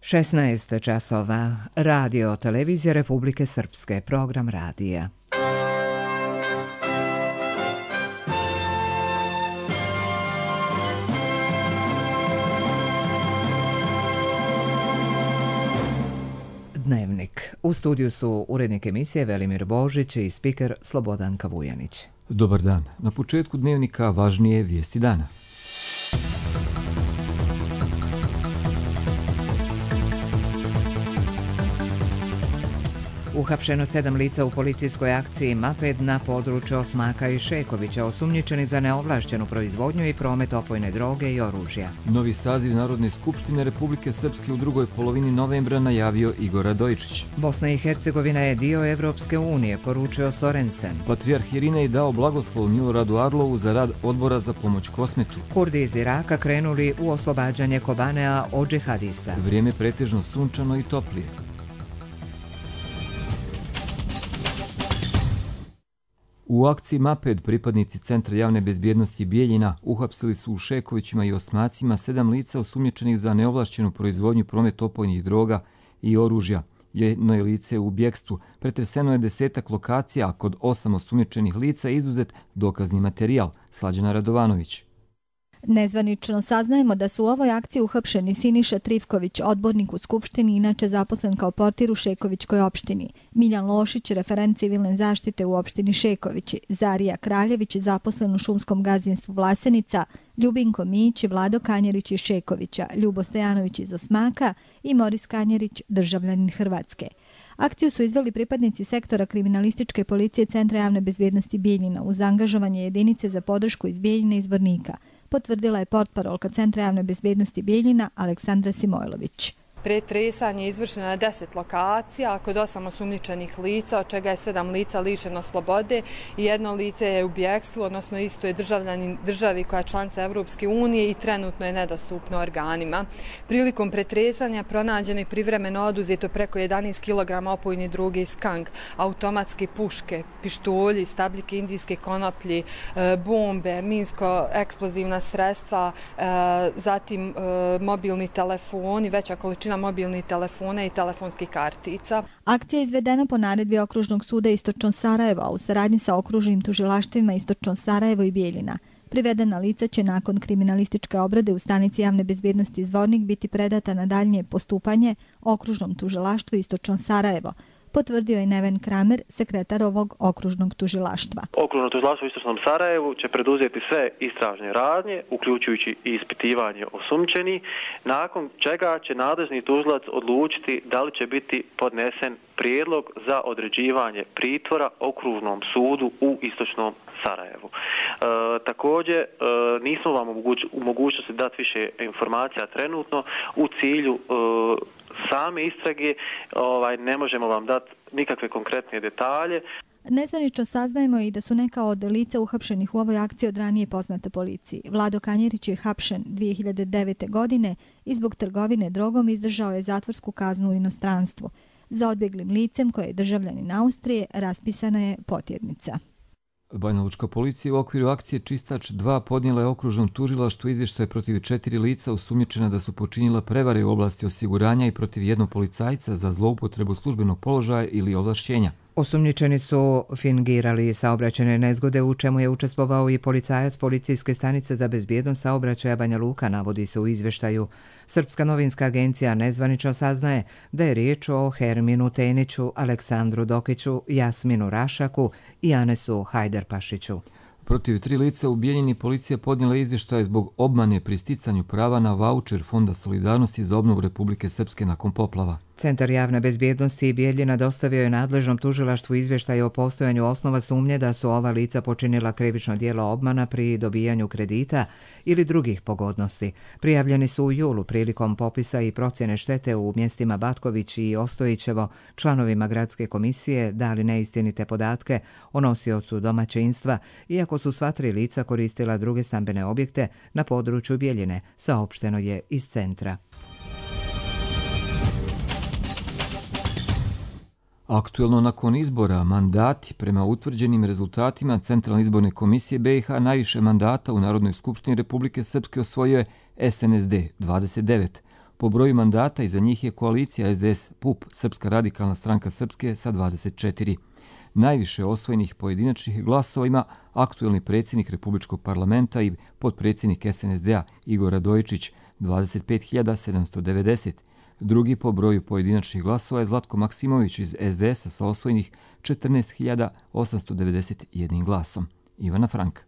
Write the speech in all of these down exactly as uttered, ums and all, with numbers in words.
šesnaest časova. Radio Televizija Republike Srpske. Program radija. Dnevnik. U studiju su urednik emisije Velimir Božić i spiker Slobodanka Vujanić. Dobar dan. Na početku dnevnika važnije vijesti dana. Uhapšeno sedam lica u policijskoj akciji Maped na području Osmaka i Šekovića, osumnjičeni za neovlašćenu proizvodnju i promet opojne droge i oružja. Novi saziv Narodne skupštine Republike Srpske u drugoj polovini novembra najavio Igor Radojičić. Bosna i Hercegovina je dio Evropske unije, poručio Sorensen. Patrijarh Irinej dao blagoslov Miloradu Arlovu za rad odbora za pomoć Kosmetu. Kurdi iz Iraka krenuli u oslobađanje Kobanea od džihadista. Vrijeme pretežno sunčano i toplije. U akciji Maped pripadnici Centra javne bezbjednosti Bijeljina uhapsili su u Šekovićima i Osmacima sedam lica osumnjičenih za neovlašćenu proizvodnju, promet opojnih droga i oružja. Jedno je lice u bjekstvu. Pretreseno je desetak lokacija, a kod osam osumnjičenih lica je izuzet dokazni materijal. Slađana Radovanović. Nezvanično saznajemo da su u ovoj akciji uhapšeni Siniša Trivković, odbornik u Skupštini, inače zaposlen kao portir u Šekovićkoj opštini, Miljan Lošić, referent civilne zaštite u opštini Šekovići, Zarija Kraljević, zaposlen u šumskom gazdinstvu Vlasenica, Ljubinko Mić, Vlado Kanjerić iz Šekovića, Ljubo Stojanović iz Osmaka i Moris Kanjerić, državljanin Hrvatske. Akciju su izveli pripadnici sektora kriminalističke policije Centra javne bezbjednosti Bijeljina uz angažovanje jedinice za podršku iz Bijeljina i Zvornika, potvrdila je portparolka Centra javne bezbjednosti Bijeljina Aleksandra Simojlović. Pretresanje je izvršeno na deset lokacija kod osam osumnjičenih lica, od čega je sedam lica lišeno slobode i jedno lice je u bjekstvu, odnosno isto je državljanin državi koja je članica Evropske unije i trenutno je nedostupno organima. Prilikom pretresanja pronađeno i privremeno oduzeto preko jedanaest kilograma opojne droge i skank, automatske puške, pištolji, stabljike indijske konoplje, bombe, minsko-eksplozivna sredstva, zatim mobilni telefoni, veća količina mobilnih telefona i telefonskih kartica. Akcija je izvedena po naredbi Okružnog suda Istočno Sarajevo u saradnji sa okružnim tužilaštvima Istočno Sarajevo i Bijeljina. Privedena lica će nakon kriminalističke obrade u stanici javne bezbjednosti Zvornik biti predata na daljnje postupanje Okružnom tužilaštvu Istočno Sarajevo, potvrdio je Neven Kramer, sekretar ovog okružnog tužilaštva. Okružno tužilaštvo u Istočnom Sarajevu će preduzeti sve istražne radnje, uključujući i ispitivanje osumnjičenih, nakon čega će nadležni tužilac odlučiti da li će biti podnesen prijedlog za određivanje pritvora okružnom sudu u Istočnom Sarajevu. E, također, e, nismo vam u mogućnosti dati više informacija trenutno u cilju e, same istrage, ovaj, ne možemo vam dati nikakve konkretne detalje. Nezvanično saznajemo i da su neka od lica uhapšenih u ovoj akciji od ranije poznate policiji. Vlado Kanjerić je hapšen dvije hiljade devete. godine i zbog trgovine drogom izdržao je zatvorsku kaznu u inostranstvu. Za odbjeglim licem, koje je državljanin Austrije, raspisana je potjernica. Banjalučka policija u okviru akcije Čistač dva podnijela je okružnom tužilaštvu izvještaje protiv četiri lica osumnjičena da su počinila prevare u oblasti osiguranja i protiv jednog policajca za zloupotrebu službenog položaja ili ovlašćenja. Osumnjičeni su fingirali saobraćajne nezgode, u čemu je učestvovao i policajac Policijske stanice za bezbjednost saobraćaja Banja Luka, navodi se u izvještaju. Srpska novinska agencija nezvanično saznaje da je riječ o Herminu Teniću, Aleksandru Dokiću, Jasminu Rašaku i Anesu Hajderpašiću. Protiv tri lica u Bijeljini policija podnijela izvještaje zbog obmane pri sticanju prava na vaučer Fonda solidarnosti za obnovu Republike Srpske nakon poplava. Centar javne bezbjednosti Bijeljina dostavio je nadležnom tužilaštvu izvještaj o postojanju osnova sumnje da su ova lica počinila krivično djelo obmana pri dobijanju kredita ili drugih pogodnosti. Prijavljeni su u julu prilikom popisa i procjene štete u mjestima Batković i Ostojićevo članovima gradske komisije dali neistinite podatke o nosiocu domaćinstva, iako su sva tri lica koristila druge stambene objekte na području Bijeljine, saopšteno je iz centra. Aktuelno nakon izbora mandati prema utvrđenim rezultatima Centralne izborne komisije B i H najviše mandata u Narodnoj skupštini Republike Srpske osvojio je S N S D dvadeset devet. Po broju mandata iza njih je koalicija S D S P U P, Srpska radikalna stranka Srpske, sa dvadeset četiri. Najviše osvojenih pojedinačnih glasova ima aktuelni predsjednik Republičkog parlamenta i potpredsjednik S N S D-a Igor Radojičić, dvadeset pet hiljada sedamsto devedeset. Drugi po broju pojedinačnih glasova je Zlatko Maksimović iz S D S-a sa osvojenih četrnaest hiljada osamsto devedeset jedan glasom. Ivana Frank.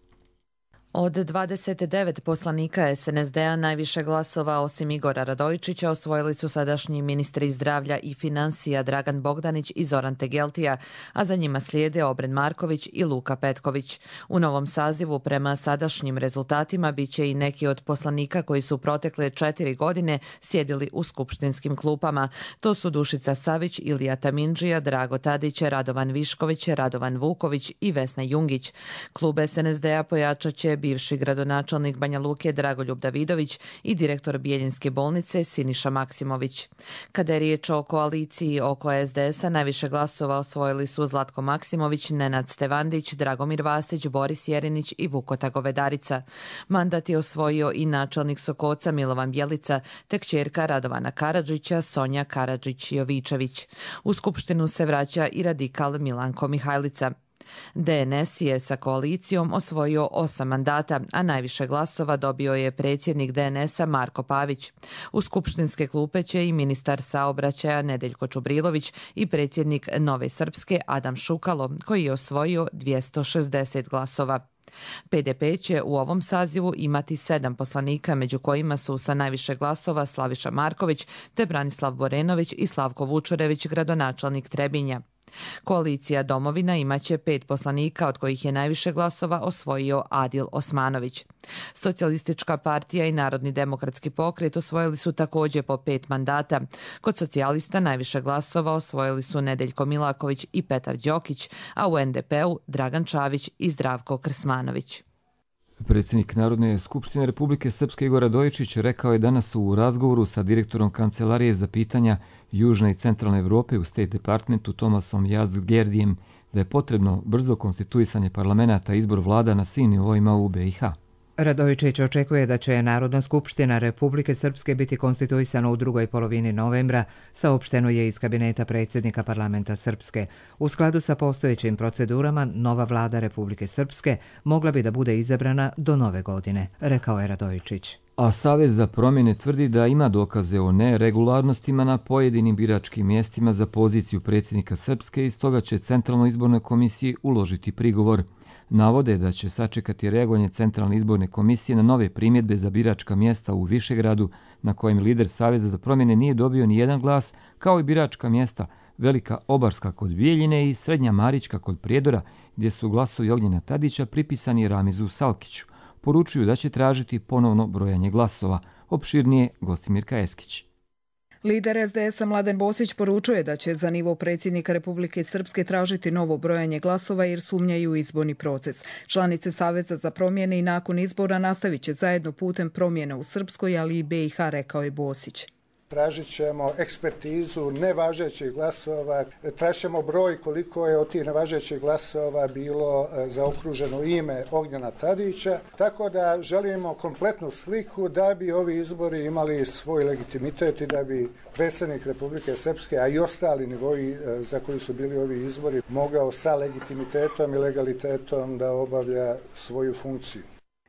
Od dvadeset devet poslanika S N S D-a najviše glasova osim Igora Radojičića osvojili su sadašnji ministri zdravlja i financija Dragan Bogdanić i Zoran Tegeltija, a za njima slijede Obren Marković i Luka Petković. U novom sazivu prema sadašnjim rezultatima biće i neki od poslanika koji su protekle četiri godine sjedili u skupštinskim klupama. To su Dušica Savić, Ilija Tamindžija, Drago Tadić, Radovan Višković, Radovan Vuković i Vesna Jungić. Klub S N S D-a pojačat će bivši gradonačelnik Banja Luke Dragoljub Davidović i direktor Bijeljinske bolnice Siniša Maksimović. Kada je riječ o koaliciji oko S D S-a, najviše glasova osvojili su Zlatko Maksimović, Nenad Stevandić, Dragomir Vasić, Boris Jerinić i Vukota Govedarica. Mandat je osvojio i načelnik Sokoca Milovan Bjelica, te kćerka Radovana Karadžića Sonja Karadžić-Jovičević. U skupštinu se vraća i radikal Milanko Mihajlica. D N S je sa koalicijom osvojio osam mandata, a najviše glasova dobio je predsjednik D N S-a Marko Pavić. U skupštinske klupe će i ministar saobraćaja Nedeljko Čubrilović i predsjednik Nove Srpske Adam Šukalo, koji je osvojio dvjesto šezdeset glasova. P D P će u ovom sazivu imati sedam poslanika, među kojima su sa najviše glasova Slaviša Marković te Branislav Borenović i Slavko Vučurević, gradonačelnik Trebinja. Koalicija Domovina imaće pet poslanika, od kojih je najviše glasova osvojio Adil Osmanović. Socijalistička partija i Narodni demokratski pokret osvojili su također po pet mandata. Kod socijalista najviše glasova osvojili su Nedeljko Milaković i Petar Đokić, a u N D P-u Dragan Čavić i Zdravko Krsmanović. Predsjednik Narodne skupštine Republike Srpske Igor Radojičić rekao je danas u razgovoru sa direktorom Kancelarije za pitanja Južne i Centralne Evrope u State Departmentu Tomasom Jazdgerdijem da je potrebno brzo konstituisanje parlamenta i izbor vlada na svim nivoima u B i H. Radojičić očekuje da će Narodna skupština Republike Srpske biti konstituisana u drugoj polovini novembra, saopšteno je iz kabineta predsjednika parlamenta Srpske. U skladu sa postojećim procedurama, nova vlada Republike Srpske mogla bi da bude izabrana do nove godine, rekao je Radojičić. A Savez za promjene tvrdi da ima dokaze o neregularnostima na pojedinim biračkim mjestima za poziciju predsjednika Srpske i stoga će Centralnoj izbornoj komisiji uložiti prigovor. Navode da će sačekati reagovanje Centralne izborne komisije na nove primjedbe za biračka mjesta u Višegradu, na kojem lider Saveza za promjene nije dobio ni jedan glas, kao i biračka mjesta Velika Obarska kod Bijeljine i Srednja Marićka kod Prijedora, gdje su glasovi Ognjena Tadića pripisani Ramizu Salkiću. Poručuju da će tražiti ponovno brojanje glasova. Opširnije Gostimirka Eskić. Lider S D S-a Mladen Bosić poručuje da će za nivo predsjednika Republike Srpske tražiti novo brojanje glasova jer sumnjaju u izborni proces. Članice Saveza za promjene i nakon izbora nastavit će zajedno putem promjena u Srpskoj, ali i B i H, rekao je Bosić. Tražit ćemo ekspertizu nevažećih glasova, tražit ćemo broj koliko je od tih nevažećih glasova bilo zaokruženo ime Ognjena Tadića, tako da želimo kompletnu sliku da bi ovi izbori imali svoj legitimitet i da bi predsjednik Republike Srpske, a i ostali nivoji za koji su bili ovi izbori, mogao sa legitimitetom i legalitetom da obavlja svoju funkciju.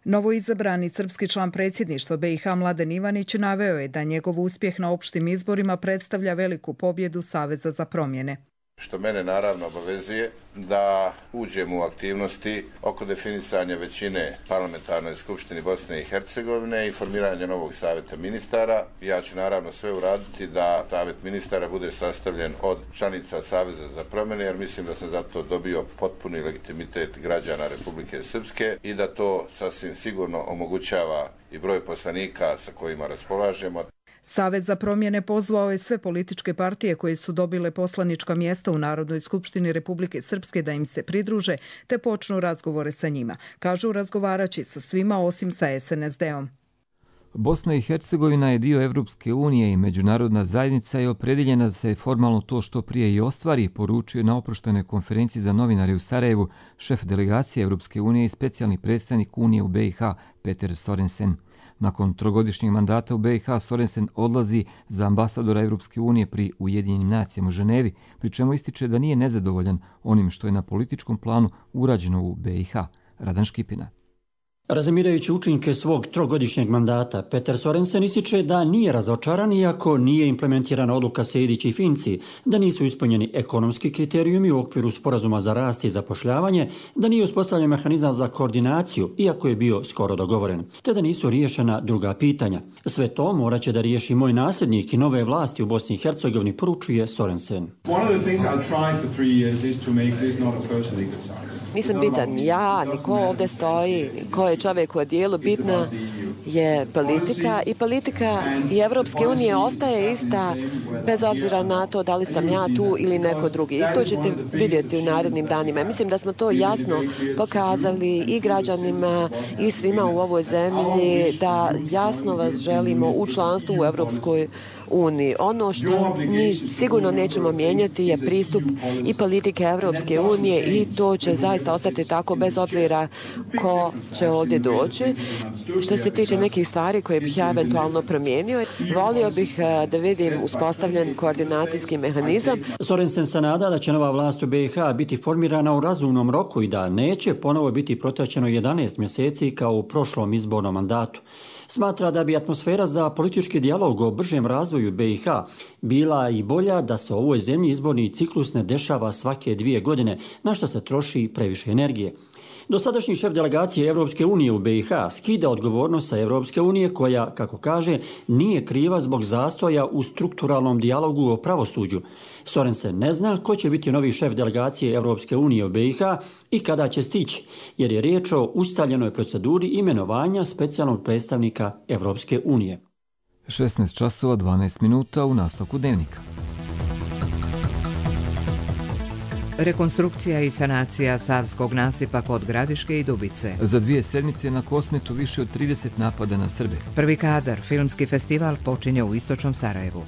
Novoizabrani srpski član predsjedništva B i H Mladen Ivanić naveo je da njegov uspjeh na opštim izborima predstavlja veliku pobjedu Saveza za promjene. Što mene naravno obavezuje da uđem u aktivnosti oko definisanja većine parlamentarnoj skupštini Bosne i Hercegovine i formiranja novog savjeta ministara. Ja ću naravno sve uraditi da savjet ministara bude sastavljen od članica Saveza za promjene, jer mislim da sam zato dobio potpuni legitimitet građana Republike Srpske i da to sasvim sigurno omogućava i broj poslanika sa kojima raspolažemo. Savez za promjene pozvao je sve političke partije koje su dobile poslanička mjesta u Narodnoj skupštini Republike Srpske da im se pridruže te počnu razgovore sa njima. Kažu razgovaraći sa svima osim sa S N S D-om. Bosna i Hercegovina je dio Evropske unije i međunarodna zajednica je opredjeljena da se formalno to što prije i ostvari, poručio na oproštenoj konferenciji za novinare u Sarajevu šef delegacije Evropske unije i specijalni predstavnik Unije u B i H Peter Sorensen. Nakon trogodišnjeg mandata u B i H Sorensen odlazi za ambasadora Europske unije pri Ujedinjenim nacijama u Ženevi, pri čemu ističe da nije nezadovoljan onim što je na političkom planu urađeno u B i H. Radan Škipina. Razmirajući učinke svog trogodišnjeg mandata, Peter Sorensen ističe da nije razočaran iako nije implementirana odluka Sejdić i Finci, da nisu ispunjeni ekonomski kriterijumi u okviru sporazuma za rast i zapošljavanje, da nije uspostavljen mehanizam za koordinaciju, iako je bio skoro dogovoren, te da nisu riješena druga pitanja. Sve to morat će da riješi moj nasljednik i nove vlasti u Bosni i Hercegovini, poručuje Sorensen. Nisam bitan ja, ni ko ovdje stoji, ko je čovjek u odijelu, bitna je politika i politika i Evropske unije ostaje ista bez obzira na to da li sam ja tu ili neko drugi. I to ćete vidjeti u narednim danima. Mislim da smo to jasno pokazali i građanima i svima u ovoj zemlji da jasno vas želimo u članstvu u Evropskoj uniji. Ono što mi sigurno nećemo mijenjati je pristup i politike Evropske unije i to će zaista ostati tako bez obzira ko će ovdje doći. Što se tiče nekih stvari koje bih ja eventualno promijenio, volio bih da vidim uspostavljen koordinacijski mehanizam. Sorensen se nada da će nova vlast u B i H biti formirana u razumnom roku i da neće ponovo biti protraćeno jedanaest mjeseci kao u prošlom izbornom mandatu. Smatra da bi atmosfera za politički dijalog o bržem razvoju B i H bila i bolja da se u ovoj zemlji izborni ciklus ne dešava svake dvije godine, na što se troši previše energije. Dosadašnji šef delegacije Evropske unije u B i H skida odgovornost sa Evropske unije koja, kako kaže, nije kriva zbog zastoja u strukturalnom dijalogu o pravosuđu. Sorensen ne zna ko će biti novi šef delegacije Evropske unije u B i H i kada će stići, jer je riječ o ustaljenoj proceduri imenovanja specijalnog predstavnika Evropske unije. šesnaest časova dvanaest minuta u nastavku dnevnika. Rekonstrukcija i sanacija Savskog nasipa kod Gradiške i Dubice. Za dvije sedmice na Kosmetu više od trideset napada na Srbe. Prvi kadar, filmski festival, počinje u istočnom Sarajevu.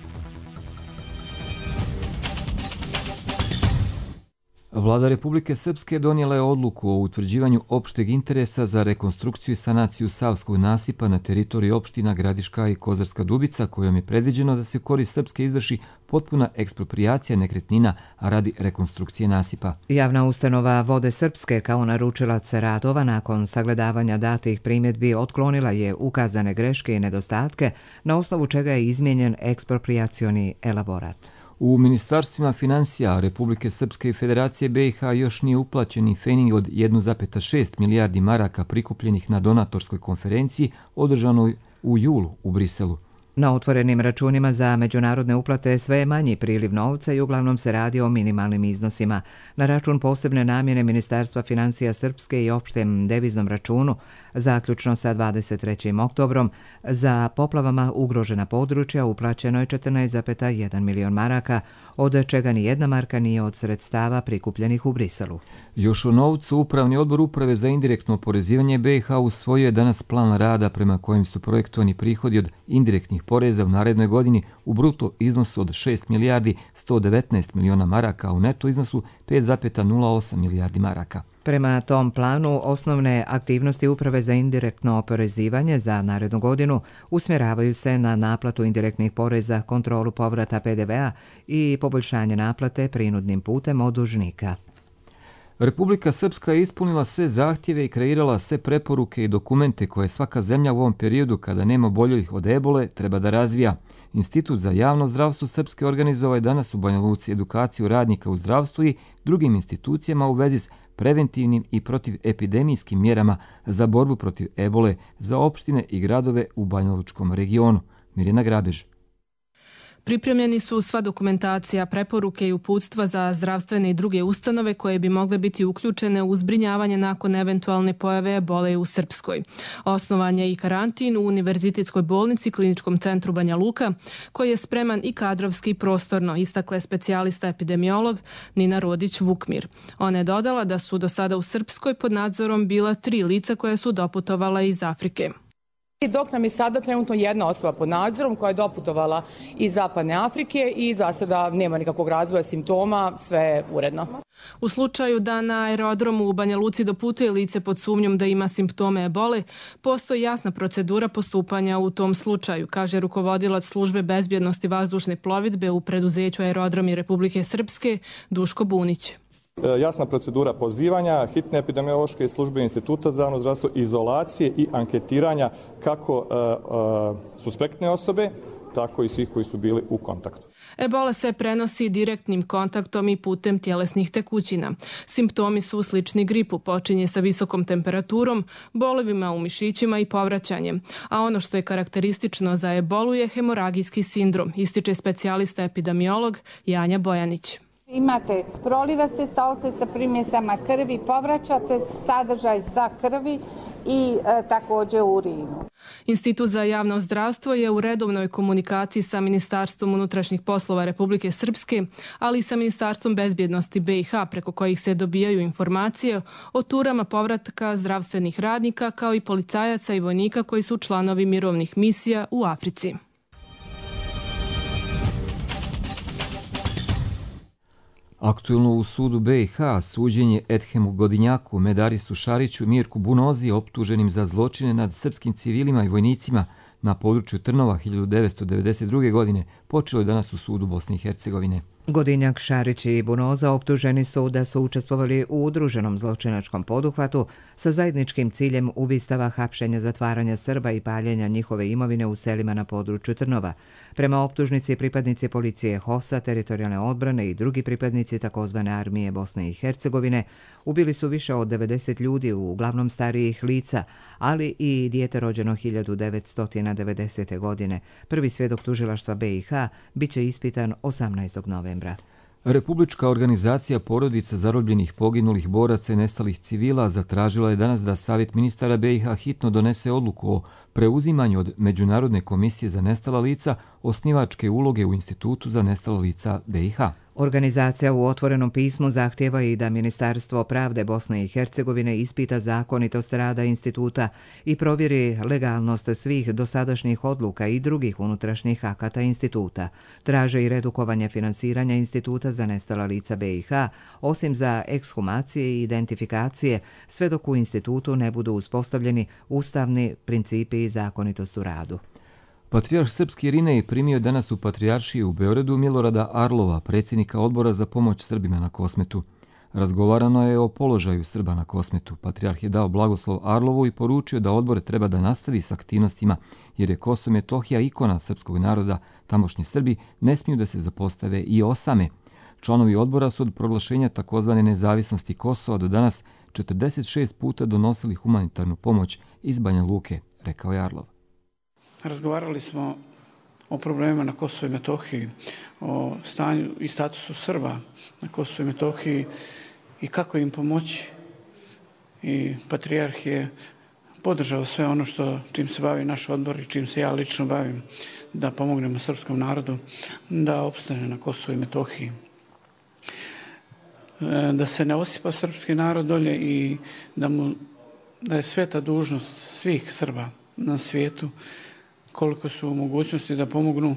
Vlada Republike Srpske donijela je odluku o utvrđivanju opšteg interesa za rekonstrukciju i sanaciju Savskog nasipa na teritoriji opština Gradiška i Kozarska Dubica, kojom je predviđeno da se u korist Srpske izvrši potpuna eksproprijacija nekretnina radi rekonstrukcije nasipa. Javna ustanova Vode Srpske kao naručilac radova nakon sagledavanja datih primjedbi otklonila je ukazane greške i nedostatke, na osnovu čega je izmijenjen eksproprijacioni elaborat. U ministarstvima financija Republike Srpske i Federacije B i H još nije uplaćeni fening od jedan zarez šest milijardi maraka prikupljenih na donatorskoj konferenciji održanoj u julu u Briselu. Na otvorenim računima za međunarodne uplate sve je manji priliv novca i uglavnom se radi o minimalnim iznosima. Na račun posebne namjene Ministarstva financija Srpske i opštem deviznom računu, zaključno sa dvadeset trećim oktobrom, za poplavama ugrožena područja uplaćeno je četrnaest zarez jedan milion maraka, od čega ni jedna marka nije od sredstava prikupljenih u Briselu. Još o novcu, Upravni odbor Uprave za indirektno oporezivanje B i H usvojio je danas plan rada prema kojem su projektovani prihodi od indirektnih poreza u narednoj godini u bruto iznosu od šest milijardi sto devetnaest miliona maraka, a u neto iznosu pet zarez nula osam milijardi maraka. Prema tom planu, osnovne aktivnosti Uprave za indirektno oporezivanje za narednu godinu usmjeravaju se na naplatu indirektnih poreza, kontrolu povrata P D V-a i poboljšanje naplate prinudnim putem od dužnika. Republika Srpska je ispunila sve zahtjeve i kreirala sve preporuke i dokumente koje svaka zemlja u ovom periodu, kada nema oboljelih od ebole, treba da razvija. Institut za javno zdravstvo Srpske organizovao je danas u Banja Luci edukaciju radnika u zdravstvu i drugim institucijama u vezi s preventivnim i protivepidemijskim mjerama za borbu protiv ebole za opštine i gradove u Banjalučkom regionu. Mirjana Grabež. Pripremljeni su sva dokumentacija, preporuke i uputstva za zdravstvene i druge ustanove koje bi mogle biti uključene u zbrinjavanje nakon eventualne pojave ebole u Srpskoj. Osnovan je i karantin u Univerzitetskoj bolnici Kliničkom centru Banja Luka, koji je spreman i kadrovski i prostorno, istakla je specijalista epidemiolog Nina Rodić-Vukmir. Ona je dodala da su do sada u Srpskoj pod nadzorom bila tri lica koja su doputovala iz Afrike. Dok nam je sada trenutno jedna osoba pod nadzorom koja je doputovala iz Zapadne Afrike i za sada nema nikakvog razvoja simptoma, sve je uredno. U slučaju da na aerodromu u Banja Luci doputuje lice pod sumnjom da ima simptome ebole, postoji jasna procedura postupanja u tom slučaju, kaže rukovodilac službe bezbjednosti vazdušne plovidbe u preduzeću Aerodromi Republike Srpske Duško Bunić. Jasna procedura pozivanja, hitne epidemiološke službe Instituta za javno zdravstvo, izolacije i anketiranja kako uh, uh, suspektne osobe, tako i svih koji su bili u kontaktu. Ebola se prenosi direktnim kontaktom i putem tjelesnih tekućina. Simptomi su slični gripu, počinje sa visokom temperaturom, bolovima u mišićima i povraćanjem. A ono što je karakteristično za ebolu je hemoragijski sindrom, ističe specijalista epidemiolog Janja Bojanić. Imate prolivaste stolce sa primjesama krvi, povraćate sadržaj sa krvi i e, također urinu. Institut za javno zdravstvo je u redovnoj komunikaciji sa Ministarstvom unutrašnjih poslova Republike Srpske, ali i sa Ministarstvom bezbjednosti B i H, preko kojih se dobijaju informacije o turama povratka zdravstvenih radnika kao i policajaca i vojnika koji su članovi mirovnih misija u Africi. Aktuelno u sudu B i H suđenje Edhemu Godinjaku, Medarisu Šariću, Mirku Bunozi optuženim za zločine nad srpskim civilima i vojnicima na području Trnova hiljadu devetsto devedeset druge. godine počelo je danas u sudu Bosne i Hercegovine. Godinjak, Šarić i Bunoza optuženi su da su učestvovali u udruženom zločinačkom poduhvatu sa zajedničkim ciljem ubistava, hapšenja, zatvaranja Srba i paljenja njihove imovine u selima na području Trnova. Prema optužnici, pripadnici policije H O S-a, teritorijalne odbrane i drugi pripadnici takozvane armije Bosne i Hercegovine ubili su više od devedeset ljudi, uglavnom starijih lica, ali i dijete rođeno hiljadu devetsto devedesete. godine. Prvi svjedok tužilaštva B i H biće ispitan osamnaestog novembra. Republička organizacija porodica zarobljenih, poginulih boraca i nestalih civila zatražila je danas da Savjet ministara B i H hitno donese odluku o preuzimanju od Međunarodne komisije za nestala lica osnivačke uloge u Institutu za nestala lica B i H. Organizacija u otvorenom pismu zahtjeva i da Ministarstvo pravde Bosne i Hercegovine ispita zakonitost rada instituta i provjeri legalnost svih dosadašnjih odluka i drugih unutrašnjih akata instituta. Traže i redukovanje finansiranja Instituta za nestala lica B i H, osim za ekshumacije i identifikacije, sve dok u institutu ne budu uspostavljeni ustavni principi i zakonitost u radu. Patrijarh Srpski Irinej primio danas u Patrijaršiji u Beogradu Milorada Arlova, predsjednika odbora za pomoć Srbima na Kosmetu. Razgovarano je o položaju Srba na Kosmetu. Patrijarh je dao blagoslov Arlovu i poručio da odbor treba da nastavi s aktivnostima, jer je Kosovo i Metohija ikona srpskog naroda, tamošnji Srbi ne smiju da se zapostave i osame. Članovi odbora su od proglašenja takozvane nezavisnosti Kosova do danas četrdeset šest puta donosili humanitarnu pomoć iz Banja Luke, rekao je Arlov. Razgovarali smo o problemima na Kosovu i Metohiji, o stanju i statusu Srba na Kosovu i Metohiji i kako im pomoći. I Patrijarh je podržao sve ono što, čim se bavi naš odbor i čim se ja lično bavim, da pomognemo srpskom narodu da opstane na Kosovu i Metohiji. Da se ne osipa srpski narod dolje i da, mu, da je sveta dužnost svih Srba na svijetu koliko su u mogućnosti da pomognu.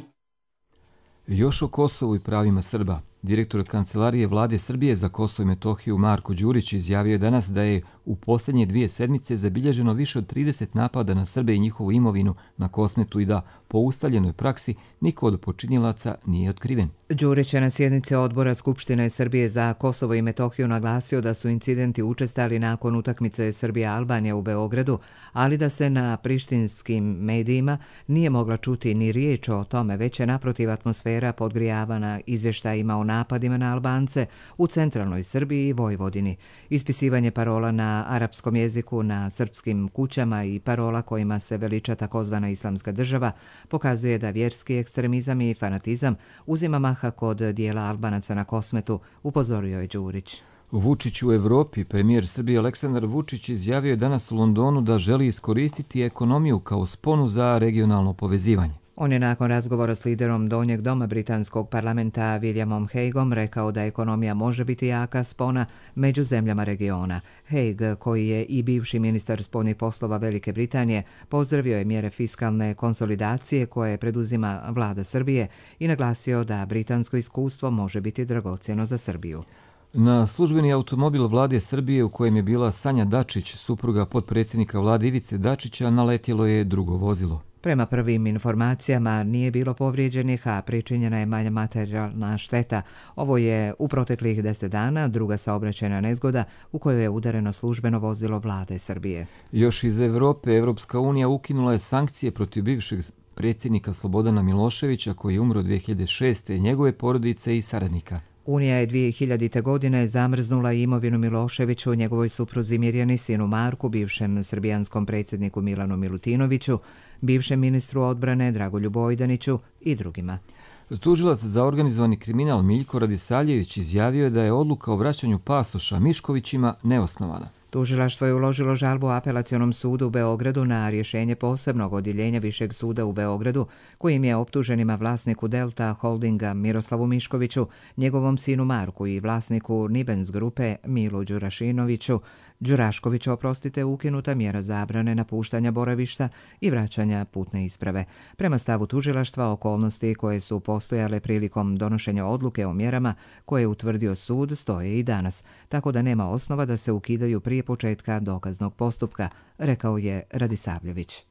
Još o Kosovu i pravima Srba. Direktor Kancelarije Vlade Srbije za Kosovo i Metohiju Marko Đurić izjavio je danas da je u posljednje dvije sedmice zabilježeno više od trideset napada na Srbe i njihovu imovinu na Kosmetu i da po ustaljenoj praksi niko od počinilaca nije otkriven. Đurić je na sjednici odbora Skupštine Srbije za Kosovo i Metohiju naglasio da su incidenti učestali nakon utakmice Srbija-Albanija u Beogradu, ali da se na prištinskim medijima nije mogla čuti ni riječ o tome, već je naprotiv atmosfera podgrijavana izvještajima o napadima na Albance u centralnoj Srbiji i Vojvodini. Ispisivanje parola na arapskom jeziku na srpskim kućama i parola kojima se veliča takozvana islamska država pokazuje da vjerski ekstremizam i fanatizam uzima maha kod dijela Albanaca na Kosmetu, upozorio je Đurić. Vučić u Evropi. Premijer Srbije Aleksandar Vučić izjavio je danas u Londonu da želi iskoristiti ekonomiju kao sponu za regionalno povezivanje. On je nakon razgovora s liderom donjeg doma britanskog parlamenta Williamom Hagueom rekao da ekonomija može biti jaka spona među zemljama regiona. Hague, koji je i bivši ministar spoljnih poslova Velike Britanije, pozdravio je mjere fiskalne konsolidacije koje preduzima vlada Srbije i naglasio da britansko iskustvo može biti dragocjeno za Srbiju. Na službeni automobil vlade Srbije u kojem je bila Sanja Dačić, supruga potpredsjednika vlade Ivice Dačića, naletjelo je drugo vozilo. Prema prvim informacijama nije bilo povrijeđenih, a pričinjena je manja materijalna šteta. Ovo je u proteklih deset dana druga saobraćajna nezgoda u kojoj je udareno službeno vozilo vlade Srbije. Još iz Evrope, Evropska unija ukinula je sankcije protiv bivšeg predsjednika Slobodana Miloševića koji je umro dvije hiljade šeste, njegove porodice i saradnika. Unija je dvije hiljadite. godine zamrznula imovinu Miloševiću, njegovoj supruzi Mirjani, sinu Marku, bivšem srbijanskom predsjedniku Milanu Milutinoviću, bivšem ministru odbrane Dragoljubu Ojdaniću i drugima. Tužilac za organizovani kriminal Miljko Radisavljević izjavio je da je odluka o vraćanju pasoša Miškovićima neosnovana. Tužilaštvo je uložilo žalbu Apelacionom sudu u Beogradu na rješenje posebnog odjeljenja Višeg suda u Beogradu, kojim je optuženima vlasniku Delta Holdinga Miroslavu Miškoviću, njegovom sinu Marku i vlasniku Nibens grupe Milu Đurašinoviću, Đuraškoviću, oprostite, ukinuta mjera zabrane napuštanja boravišta i vraćanja putne isprave. Prema stavu tužilaštva, okolnosti koje su postojale prilikom donošenja odluke o mjerama koje je utvrdio sud stoje i danas, tako da nema osnova da se ukidaju prije početka dokaznog postupka, rekao je Radisavljević.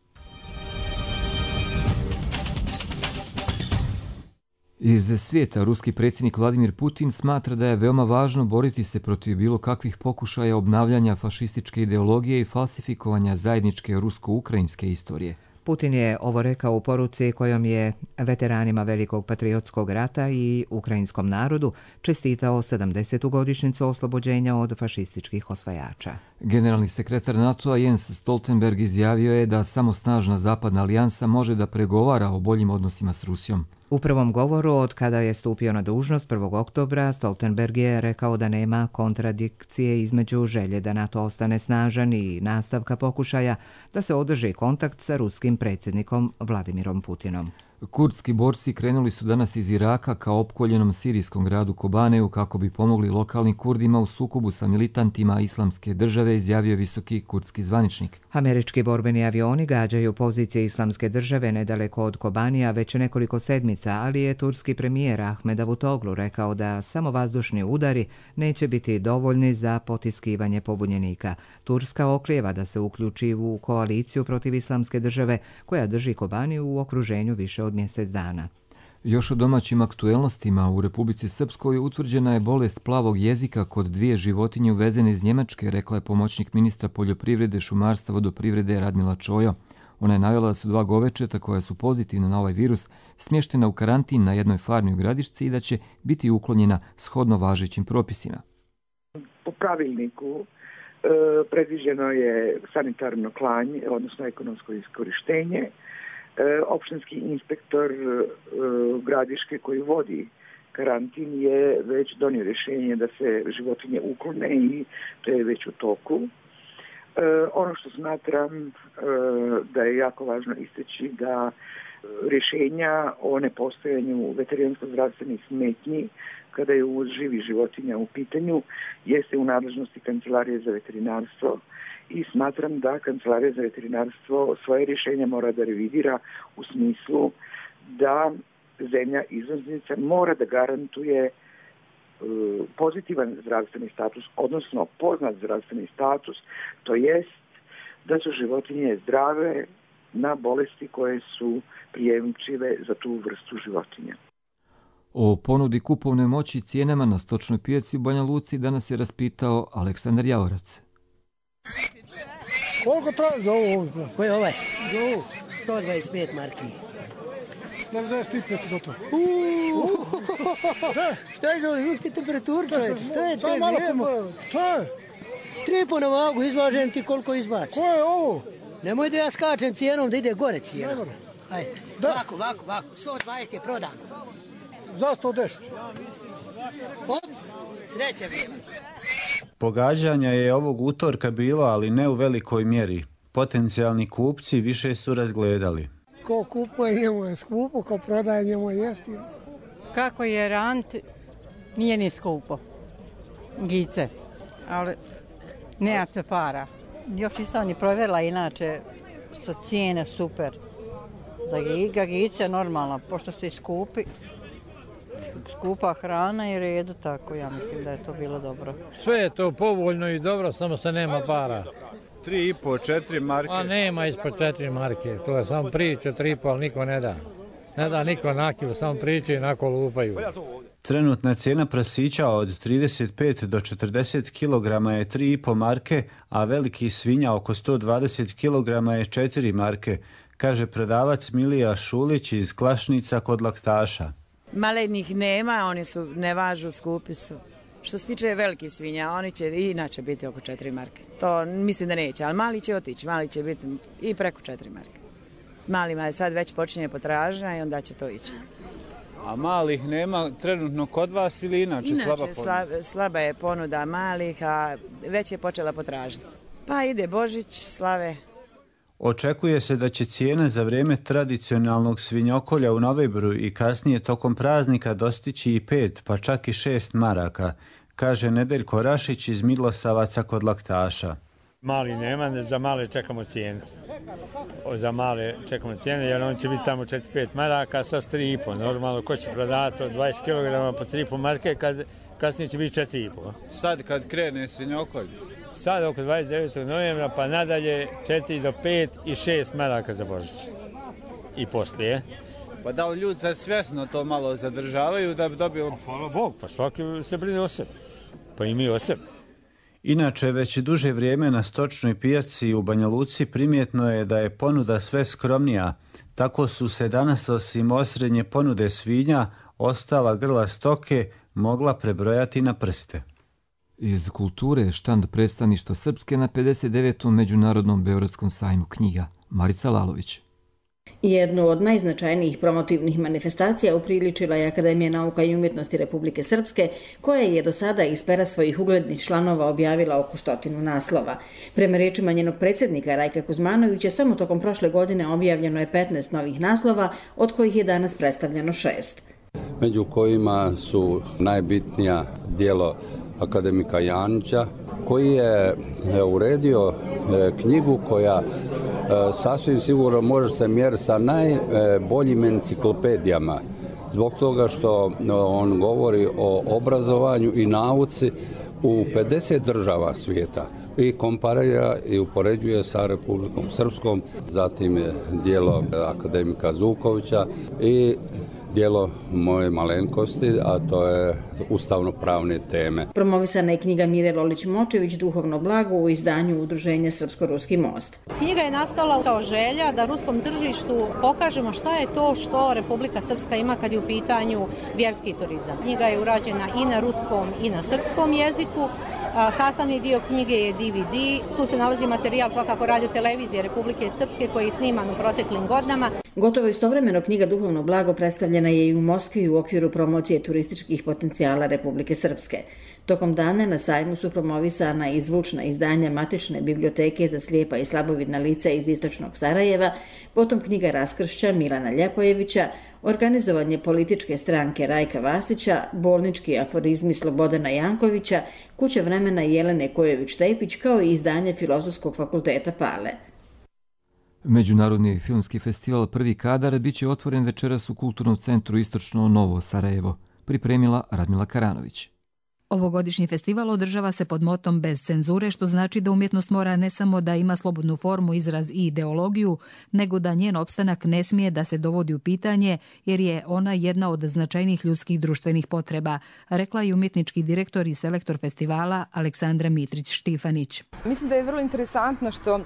Iz svijeta, ruski predsjednik Vladimir Putin smatra da je veoma važno boriti se protiv bilo kakvih pokušaja obnavljanja fašističke ideologije i falsifikovanja zajedničke rusko-ukrajinske istorije. Putin je ovo rekao u poruci kojom je veteranima Velikog patriotskog rata i ukrajinskom narodu čestitao sedamdesetu godišnjicu oslobođenja od fašističkih osvajača. Generalni sekretar NATO-a Jens Stoltenberg izjavio je da samo snažna zapadna alijansa može da pregovara o boljim odnosima s Rusijom. U prvom govoru od kada je stupio na dužnost prvog oktobra, Stoltenberg je rekao da nema kontradikcije između želje da NATO ostane snažan i nastavka pokušaja da se održi kontakt sa ruskim predsjednikom Vladimirom Putinom. Kurdski borci krenuli su danas iz Iraka ka opkoljenom sirijskom gradu Kobaneju kako bi pomogli lokalnim Kurdima u sukobu sa militantima Islamske države, izjavio visoki kurdski zvaničnik. Američki borbeni avioni gađaju pozicije Islamske države nedaleko od Kobanija već nekoliko sedmica, ali je turski premijer Ahmed Davutoglu rekao da samo vazdušni udari neće biti dovoljni za potiskivanje pobunjenika. Turska oklijeva da se uključi u koaliciju protiv Islamske države koja drži Kobaniju u okruženju više od mjesec dana. Još o domaćim aktuelnostima, u Republici Srpskoj utvrđena je bolest plavog jezika kod dvije životinje uvezene iz Njemačke, rekla je pomoćnik ministra poljoprivrede, šumarstva, vodoprivrede Radmila Čojo. Ona je navela da su dva govečeta koja su pozitivna na ovaj virus smještena u karantin na jednoj farmi u Gradišci i da će biti uklonjena shodno važećim propisima. Po pravilniku e, predviđeno je sanitarno klanje, odnosno ekonomsko iskorištenje. Opštinski inspektor Gradiške koji vodi karantin je već donio rješenje da se životinje uklone i to je već u toku. Ono što smatram da je jako važno istaći da rješenja o nepostojanju veterinarsko-zdravstvenih smetnji kada je uvoz živih životinja u pitanju jeste u nadležnosti Kancelarije za veterinarstvo i smatram da Kancelarija za veterinarstvo svoje rješenja mora da revidira u smislu da zemlja izvoznica mora da garantuje pozitivan zdravstveni status, odnosno poznat zdravstveni status, to jest da su životinje zdrave na bolesti koje su prijemčive za tu vrstu životinja. O ponudi kupovnoj moći i cijenama na stočnoj pijaci u Banja Luci danas je raspitao Aleksandar Javorac. Koliko traži za ovo? Koji je ovaj? sto dvadeset pet marki. devedeset pet gotovo. Šta je za ovo? Uvijek ti temperaturu, čovječe. Šta je te? Šta je? Tri po na vagu, izvažem ti koliko izbaci. Ko je ovo? Nemoj da ja skačem cijenom da ide gore cijenom. Ajde, ovako, ovako, ovako. sto dvadeset je prodano. Za sto deset. Od sreće bilo. Pogađanja je ovog utorka bilo, ali ne u velikoj mjeri. Potencijalni kupci više su razgledali. Ko kupuje njemu je skupo, ko prodaje njemu je jeftino. Kako je rant, nije ni skupo. Gice, ali nema se para. Još nisam ni provjerila, inače su cijene super. Da ga gice normalno, pošto se skupi. Skupa hrana i redu, tako ja mislim da je to bilo dobro. Sve je to povoljno i dobro, samo se nema para. Tri i po, četiri marke. A nema ispod četiri marke, to je samo priča, tri i po, ali niko ne da. Ne da niko na kilo, samo pričaju i nako lupaju. Trenutna cijena prasića od trideset pet do četrdeset kilograma je tri i po marke, a veliki svinja oko sto dvadeset kilograma je četiri marke, kaže prodavac Milija Šulić iz Klašnica kod Laktaša. Malenih nema, oni su ne važu, skupi su. Što se tiče velikih svinja, oni će i inače biti oko četiri marke. To mislim da neće, ali mali će otići, mali će biti i preko četiri marke. Malima je sad već počinje potražnja i onda će to ići. A malih nema trenutno kod vas ili inače, inače slaba ponuda? Slaba, slaba je ponuda malih, a već je počela potražnja. Pa ide Božić, slave. Očekuje se da će cijene za vrijeme tradicionalnog svinjokolja u novembru i kasnije tokom praznika dostići i pet, pa čak i šest maraka, kaže Nedeljko Rašić iz Milosavaca kod Laktaša. Mali nema, za male čekamo cijenu. Za male čekamo cijenu jer on će biti tamo četiri pet maraka, sa tri i po. Normalno, ko će prodati od dvadeset kilograma po tri i po marke, kad, kasnije će biti četiri i po. Sad kad krene svinjokolj? Sad oko dvadeset devetog novembra pa nadalje četiri do pet i šest maraka za Božić. I poslije. Pa da li ljudi sad svjesno to malo zadržavaju da bi dobili... Pa, hvala Bog, pa svaki se brine o sebi. Pa i mi o sebi. Inače, već duže vrijeme na stočnoj pijaci u Banja Luci primjetno je da je ponuda sve skromnija. Tako su se danas osim osrednje ponude svinja, ostala grla stoke mogla prebrojati na prste. Iz kulture štand predstavništva Srpske na pedeset devetom Međunarodnom Beogradskom sajmu knjiga. Marica Lalović. Jednu od najznačajnijih promotivnih manifestacija upriličila je Akademija nauka i umjetnosti Republike Srpske, koja je do sada iz pera svojih uglednih članova objavila oko stotinu naslova. Prema riječima njenog predsjednika Rajka Kuzmanovića, samo tokom prošle godine objavljeno je petnaest novih naslova, od kojih je danas predstavljeno šest. Među kojima su najbitnija djelo akademika Janića, koji je uredio knjigu koja sasvim sigurno može se mjeriti sa najboljim enciklopedijama, zbog toga što on govori o obrazovanju i nauci u pedeset država svijeta i komparira i upoređuje sa Republikom Srpskom, zatim je djelo akademika Zukovića i djelo moje malenkosti, a to je ustavno-pravne teme. Promovisana je knjiga Mire Lolić-Močević Duhovno blago u izdanju Udruženja Srpsko-Ruski most. Knjiga je nastala kao želja da ruskom tržištu pokažemo šta je to što Republika Srpska ima kad je u pitanju vjerski turizam. Knjiga je urađena i na ruskom i na srpskom jeziku. Sastavni dio knjige je D V D. Tu se nalazi materijal svakako radio televizije Republike Srpske koji je sniman u proteklim godinama. Gotovo istovremeno knjiga Duhovno blago predstavljena je i u Moskvi u okviru promocije turističkih potencijala Republike Srpske. Tokom dana na sajmu su promovisana i zvučna izdanja Matične biblioteke za slijepa i slabovidna lica iz istočnog Sarajeva, potom knjiga Raskršća Milana Ljepojevića, organizovanje političke stranke Rajka Vasića, bolnički aforizmi Slobodana Jankovića, Kuća vremena Jelene Kojević-Tepić, kao i izdanje Filozofskog fakulteta Pale. Međunarodni filmski festival Prvi kadar bit će otvoren večeras u Kulturnom centru Istočno Novo Sarajevo, pripremila Radmila Karanović. Ovogodišnji festival održava se pod motom bez cenzure, što znači da umjetnost mora ne samo da ima slobodnu formu, izraz i ideologiju, nego da njen opstanak ne smije da se dovodi u pitanje, jer je ona jedna od značajnih ljudskih društvenih potreba, rekla je umjetnički direktor i selektor festivala Aleksandra Mitrić-Štifanić. Mislim da je vrlo interesantno što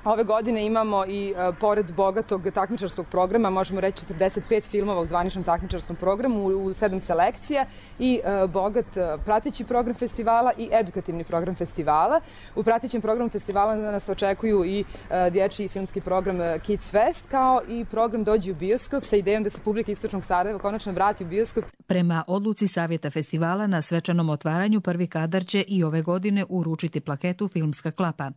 ove godine imamo i uh, pored bogatog takmičarskog programa, možemo reći četrdeset pet filmova u zvaničnom takmičarskom programu u, u sedam selekcija i uh, bogat uh, prateći program festivala i edukativni program festivala. U pratećem programu festivala nas očekuju i uh, dječji filmski program uh, Kids Fest, kao i program Dođi u bioskop sa idejom da se publika Istočnog Sarajeva konačno vrati u bioskop. Prema odluci Savjeta festivala na svečanom otvaranju Prvi kadar će i ove godine uručiti plaketu Filmska klapa.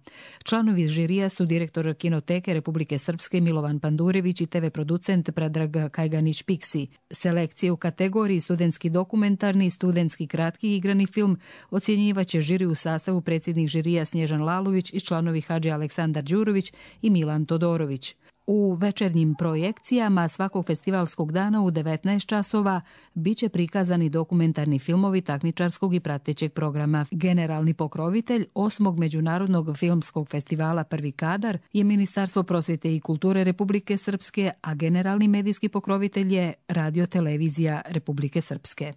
Članovi žirija su direktori direktor Kinoteke Republike Srpske Milovan Pandurević i te ve producent Predrag Kajganić-Piksi. Selekcije u kategoriji studentski dokumentarni i studentski kratki igrani film ocjenjivaće žiri u sastavu predsjednik žirija Snježan Lalović i članovi Hadži Aleksandar Đurović i Milan Todorović. U večernjim projekcijama svakog festivalskog dana u devetnaest časova biće prikazani dokumentarni filmovi takmičarskog i pratećeg programa. Generalni pokrovitelj osmog Međunarodnog filmskog festivala Prvi kadar je Ministarstvo prosvjete i kulture Republike Srpske, a generalni medijski pokrovitelj je Radio televizija Republike Srpske.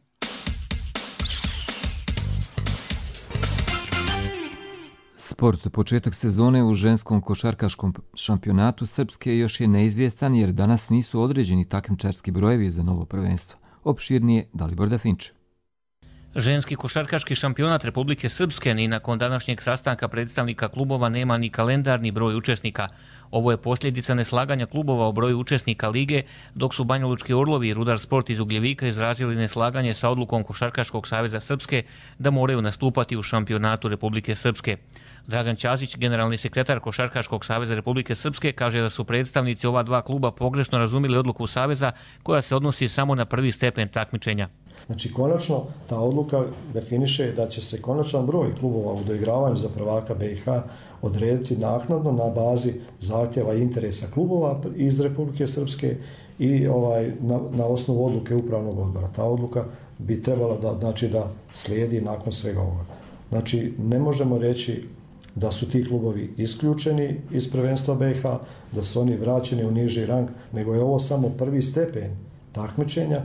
Sport, početak sezone u ženskom košarkaškom šampionatu Srpske još je neizvjestan jer danas nisu određeni takmičarski brojevi za novo prvenstvo. Opširnije Dalibor Dafinč. Ženski košarkaški šampionat Republike Srpske ni nakon današnjeg sastanka predstavnika klubova nema ni kalendar ni broj učesnika. Ovo je posljedica neslaganja klubova o broju učesnika lige, dok su Banjalučki Orlovi i Rudar Sport iz Ugljevika izrazili neslaganje sa odlukom Košarkaškog saveza Srpske da moraju nastupati u šampionatu Republike Srpske. Dragan Ćasić, generalni sekretar Košarkaškog saveza Republike Srpske, kaže da su predstavnici ova dva kluba pogrešno razumjeli odluku saveza koja se odnosi samo na prvi stepen takmičenja. Znači, konačno ta odluka definiše da će se konačan broj klubova u doigravanju za prvaka be i ha odrediti naknadno na bazi zahtjeva i interesa klubova iz Republike Srpske i ovaj, na, na osnovu odluke upravnog odbora. Ta odluka bi trebala da, znači, da slijedi nakon svega ovoga. Znači, ne možemo reći da su ti klubovi isključeni iz prvenstva be i ha, da su oni vraćeni u niži rang, nego je ovo samo prvi stepen takmičenja.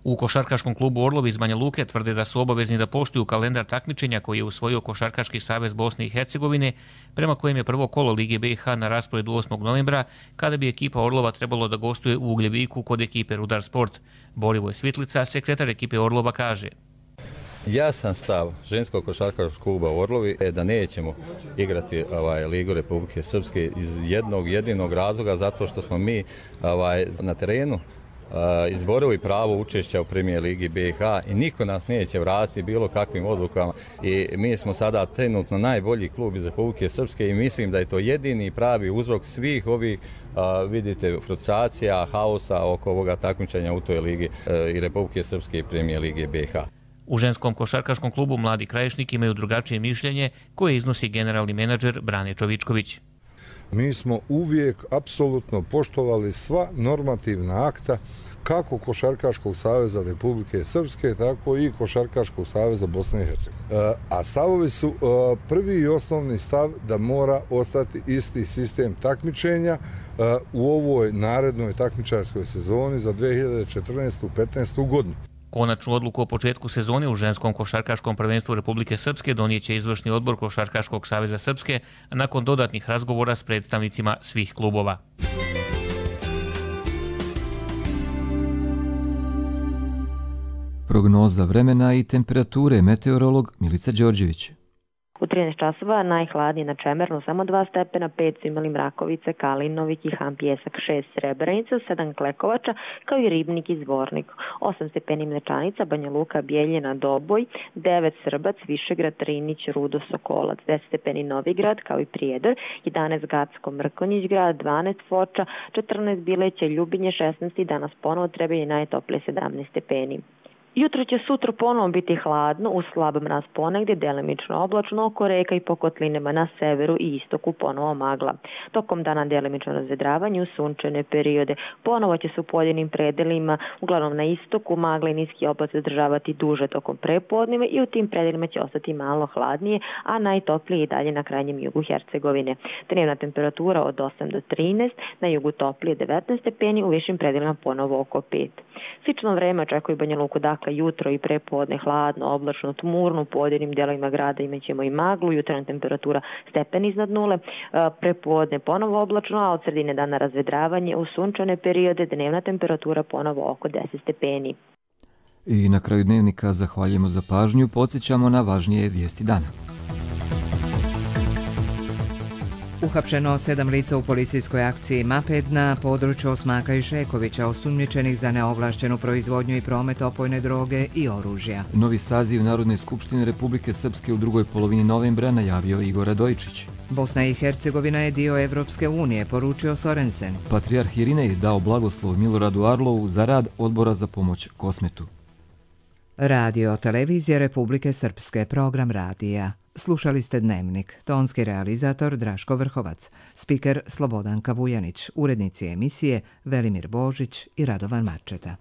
U košarkaškom klubu Orlovi iz Banja Luke tvrde da su obavezni da poštuju kalendar takmičenja koji je usvojio Košarkaški savez Bosne i Hercegovine, prema kojem je prvo kolo Lige be i ha na rasporedu osmog novembra, kada bi ekipa Orlova trebalo da gostuje u Ugljeviku kod ekipe Rudar Sport. Borivoj Svitlica, sekretar ekipe Orlova, kaže: Jasan stav ženskog košarkaškog kluba Orlovi je da nećemo igrati ovaj, Ligu Republike Srpske iz jednog jedinog razloga, zato što smo mi ovaj, na terenu izborili pravo učešća u Premijer Ligi be i ha i niko nas neće vratiti bilo kakvim odlukama. I mi smo sada trenutno najbolji klub iz Republike Srpske i mislim da je to jedini pravi uzrok svih ovih, a, vidite, frustracija, haosa oko ovoga takmičenja u toj ligi a, i Republike Srpske i Premijer Lige be i ha. U ženskom košarkaškom klubu Mladi Krajišnik imaju drugačije mišljenje koje iznosi generalni menadžer Brane Čovičković. Mi smo uvijek apsolutno poštovali sva normativna akta kako Košarkaškog saveza Republike Srpske, tako i Košarkaškog saveza Bosne i Hercegovine. A stavovi su prvi i osnovni stav da mora ostati isti sistem takmičenja u ovoj narednoj takmičarskoj sezoni za dve hiljade četrnaestu petnaestu godinu. Konačnu odluku o početku sezone u ženskom košarkaškom prvenstvu Republike Srpske donijeće izvršni odbor Košarkaškog saveza Srpske nakon dodatnih razgovora s predstavnicima svih klubova. Prognoza vremena i temperature, meteorolog Milica Đorđević. U trinaest časova najhladnije na Čemernu samo dva stepena, pet su imali Mrakovice, Kalinovik i Han Pjesak, šest Srebrenica, sedam Klekovača, kao i Ribnik i Zvornik, osam stepeni Mlečanica, Banja Luka, Bijeljina, Doboj, devet Srbac, Višegrad, Trinić, Rudo, Sokolac, deset stepeni Novigrad, kao i Prijedor, jedanaest Gacko, Mrkonjić grad, dvanaest Foča, četrnaest Bileće, Ljubinje, šesnaest i danas ponovo Trebinje, najtoplije sedamnaest stepeni. Jutro će sutra ponovo biti hladno, uz slab mraz ponegdje, delimično oblačno, oko reka i po kotlinama na severu i istoku ponovo magla. Tokom dana delimično razvedravanje u sunčane periode. Ponovo će se u pojedinim predelima, uglavnom na istoku, magla i niski oblak zadržavati duže tokom prepodneva i u tim predelima će ostati malo hladnije, a najtoplije i dalje na krajnjem jugu Hercegovine. Dnevna temperatura od osam do trinaest, na jugu toplije devetnaest stepeni, u višim predelima ponovo oko pet. Slično vreme očekuje Banja Luku, dakle jutro i prepodne hladno, oblačno, tmurno, u pojedinim delovima grada imat ćemo i maglu, jutarnja temperatura stepen iznad nule, prepodne ponovo oblačno, a od sredine dana razvedravanje, u sunčane periode dnevna temperatura ponovo oko deset stepeni. I na kraju dnevnika zahvaljujemo za pažnju, podsjećamo na važnije vijesti dana. Uhapšeno sedam lica u policijskoj akciji Maped na području Osmaka i Šekovića, osumnjičenih za neovlašćenu proizvodnju i promet opojne droge i oružja. Novi saziv Narodne skupštine Republike Srpske u drugoj polovini novembra najavio Igor Radojičić. Bosna i Hercegovina je dio Evropske unije, poručio Sorensen. Patrijarh Irinej dao blagoslov Miloradu Arlovu za rad Odbora za pomoć Kosmetu. Radio televizije Republike Srpske, program radija. Slušali ste Dnevnik, tonski realizator Draško Vrhovac, spiker Slobodanka Vujanić, urednici emisije Velimir Božić i Radovan Marčeta.